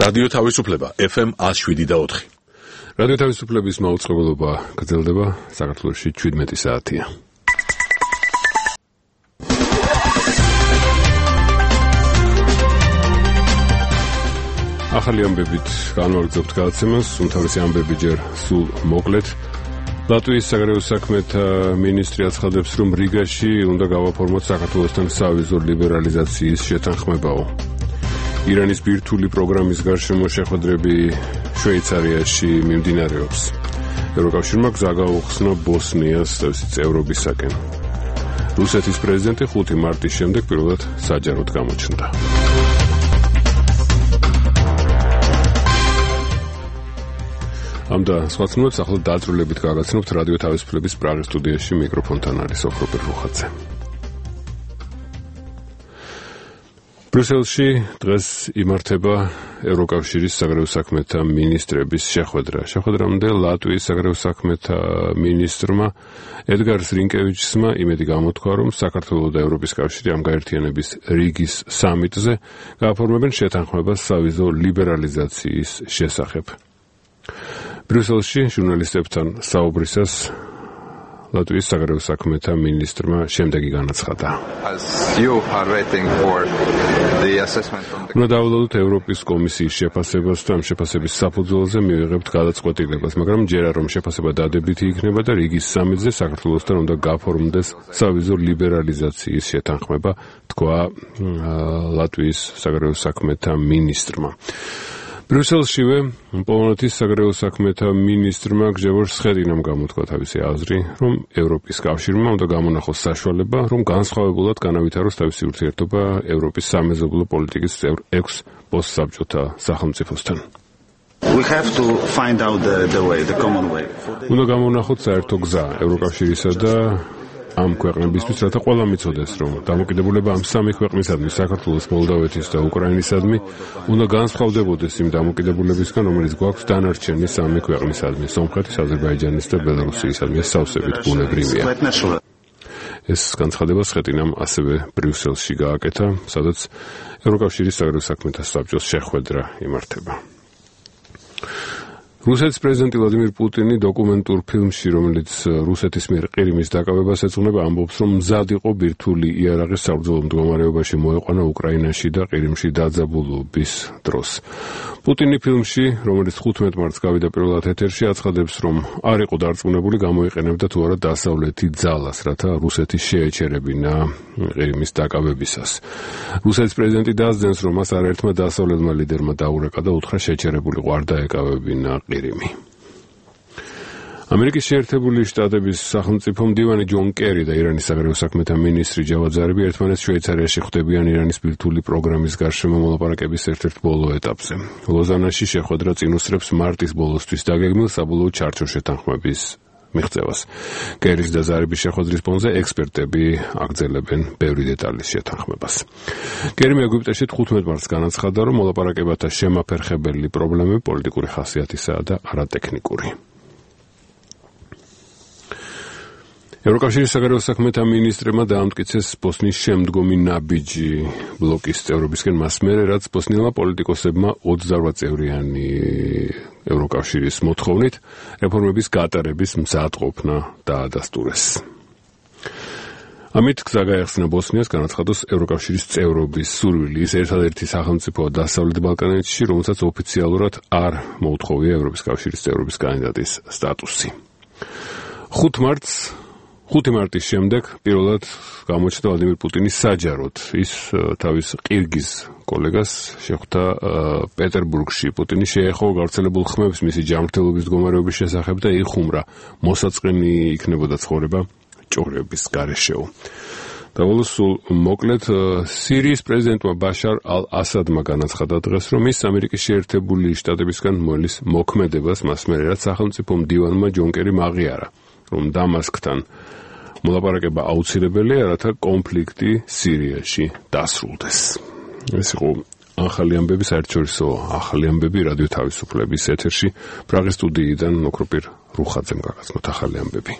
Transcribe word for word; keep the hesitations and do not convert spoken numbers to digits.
რადიო თავისუფლება ეფ ემ one oh seven და four. რადიო თავისუფლების მაუწყებლობა გრძელდება, საქართველოში seventeen საათია. ახალი ამბებით განვაგრძობთ გადაცემას, უმთავრესი ამბები ჯერ სულ მოკლედ. ლატვიის საგარეო საქმეთა მინისტრი აცხადებს, რომ რიგაში უნდა გავაფორმოთ საქართველოსთან სავიზო ლიბერალიზაციის შეთანხმებაო. ირანის ბირთვული პროგრამის გარშემო შეხვედრები შვეიცარიაში მიმდინარეობს. ევროკავშირმა გზა გაუხსნა ბოსნიას თავისი წევრობისაკენ. რუსეთის პრეზიდენტი ხუთი მარტის შემდეგ პირველად საჯაროდ გამოჩნდა. ამ და სხვა ცნობებს ახლა დაწვრილებით გაგაცნობთ რადიო თავისუფლების პრაღის სტუდიაში მიკროფონთან არის ოქროპერ რუხაძე. ბრიუსელში დღეს იმართება ევროკავშირის საგარეო საქმეთა მინისტრების შეხვედრა. შეხვედრამდე ლატვიის საგარეო საქმეთა მინისტრმა ედგარ რინკევიჩსმა იმედი გამოთქვა, რომ საქართველო და ევროპის კავშირი ამ გაერთიანების რიგის სამიტზე გააფორმებენ შეთანხმებას სავიზო ლიბერალიზაციის შესახებ. ბრიუსელში ჟურნალისტებთან საუბრისას ლატვიის საგარეო საქმეთა მინისტრმა შემდეგი განაცხადა. უნდა დავულოდოთ ევროპის კომისიის შეფასებას და ამ შეფასების საფუძველზე მივიღებთ გადაწყვეტილებას, მაგრამ ჯერა რომ შეფასება დადებითი იქნება და რიგის სამიტზე საქართველოსთან უნდა გაფორმდეს სავიზო ლიბერალიზაციის შეთანხმება, თქვა ლატვიის საგარეო საქმეთა მინისტრმა. ბრიუსელშივე პოლონეთის საგარეო საქმეთა მინისტრმა გჟევორ სხედინამ გამოთქვა თავისი აზრი, რომ ევროპის კავშირმა უნდა გამონახოს საშუალება, რომ განსხვავებულად განავითაროს თავისი ურთიერთობა ევროპის სამეზობლო პოლიტიკის წევრ ექვს პოსტსაბჭოთა სახელმწიფოსთან. We have to find out the, the way, the common way. უნდა გამონახოთ საერთო გზა ევროკავშირისა და ამ ქვეყნებისთვის, რათა ყველა მიცოდეს, რომ დამოკიდებულება ამ სამი ქვეყნისადმი, საქართველოს, მოლდოვეთის და უკრაინისადმი, უნდა განსხვავდებოდეს იმ დამოკიდებულებისგან, რომელიც გვაქვს დანარჩენი სამი ქვეყნისადმი, სომხეთის, აზერბაიჯანის და ბელარუსისადმი. ეს სავსებით ბუნებრივია. ეს განცხადება სხეტინამ ასევე ბრიუსელში გააკეთა, სადაც ევროკავშირის საგარეო საქმეთა საბჭოს შეხვედრა იმართება. რუსეთის პრეზიდენტი ვლადიმირ პუტინი დოკუმენტურ ფილმში, რომელიც რუსეთის მიერ ყირიმის დაკავებას ეძღვნება, ამბობს, რომ მზად იყო ბირთვული იარაღი საბრძოლო მდგომარეობაში მოეყვანა უკრაინაში და ყირიმში დაძაბულობის დროს. პუტინი ფილმში, რომელიც ხუთმეტ მარტს გავიდა პირველად ეთერში, აცხადებს, რომ არ იყო დარწმუნებული გამოიყენებდა თუ არა დასავლეთი ძალას, რათა რუსეთი შეეჩერებინა ყირიმის დაკავებისას. რუსეთის პრეზიდენტი დასძენს, რომ მას არაერთმა დასავლელმა ლიდერმა დაურეკა და უთხრა შეჩერებულიყო არ დაეკავებინა ყირიმი. ამერიკის შეერთებული შტატების სახელმწიფო მდივანი ჯონ კერი და ირანის საგარეო საქმეთა მინისტრი ჯავად ზარიფი ერთმანეთს შვეიცარიაში ხვდებიან ირანის ბირთვული პროგრამის გარშემო მოლაპარაკების ერთ-ერთ ბოლო ეტაპზე. ლოზანაში შეხვედრა წინ უსწრებს მარტის ბოლოსთვის დაგეგმილ საბოლოო ჩარჩო შეთანხმების მიღწევას. კერის და ზარიფის შეხვედრის ფონზე ექსპერტები აგრძელებენ ბევრი დეტალის შეთანხმებას. კერიმ ეგვიპტეში თხუთმეტ მარტს განაცხადა, რომ მოლაპარაკებათა შემაფერხებელი პრობლემები პოლიტიკური ხასიათისაა და არატექნიკური. ევროკავშირის საგარეო საქმეთა მინისტრებმა დაამტკიცეს ბოსნიის შემდგომი ნაბიჯი ბლოკის წევრობისკენ მას მერე, რაც ბოსნიელმა პოლიტიკოსებმა ოცდაოთხ წევრიანი ევროკავშირის მოთხოვნით რეფორმების გატარების მზადყოფნა დაადასტურეს. ამით გზა გაეხსნა ბოსნიას განაცხადოს ევროკავშირის წევრობის სურვილი. ის ერთადერთი სახელმწიფოა დასავლეთ ბალკანეთში, რომელსაც ოფიციალურად არ მოუთხოვია ევროპის კავშირის წევრობის კანდიდატის სტატუსი. ხუთ მარტს ხუთი მარტის შემდეგ პირველად გამოჩნდა ვლადიმირ პუტინი საჯაროდ. ის თავის ყირგიზ კოლეგას შეხვდა პეტერბურგში. პუტინი შეეხო გავრცელებულ ხმებს მისი ჯანმრთელობის მდგომარეობის შესახებ და იხუმრა მოსაწყენი იქნებოდა ცხოვრება ჭორების გარეშეო. დავალოს სულ მოკლედ სირიის პრეზიდენტმა ბაშარ ალ-ასადმა განაცხადა დღეს, რომ ის ამერიკის შეერთებული შტატებისგან მოელის მოქმედებას მას მერე, რაც სახელმწიფო მდივანმა ჯონ კერიმ აღიარა, რომ დამასკთან მოლაპარაკება აუცილებელია, რათა კონფლიქტი სირიაში დასრულდეს. ეს იყო ახალი ამბები, საერთაშორისო ახალი ამბები რადიო თავისუფლების ეთერში. პრაღის სტუდიიდან ოქროპერ რუხაძემ გაგაცნოთ ახალი ამბები.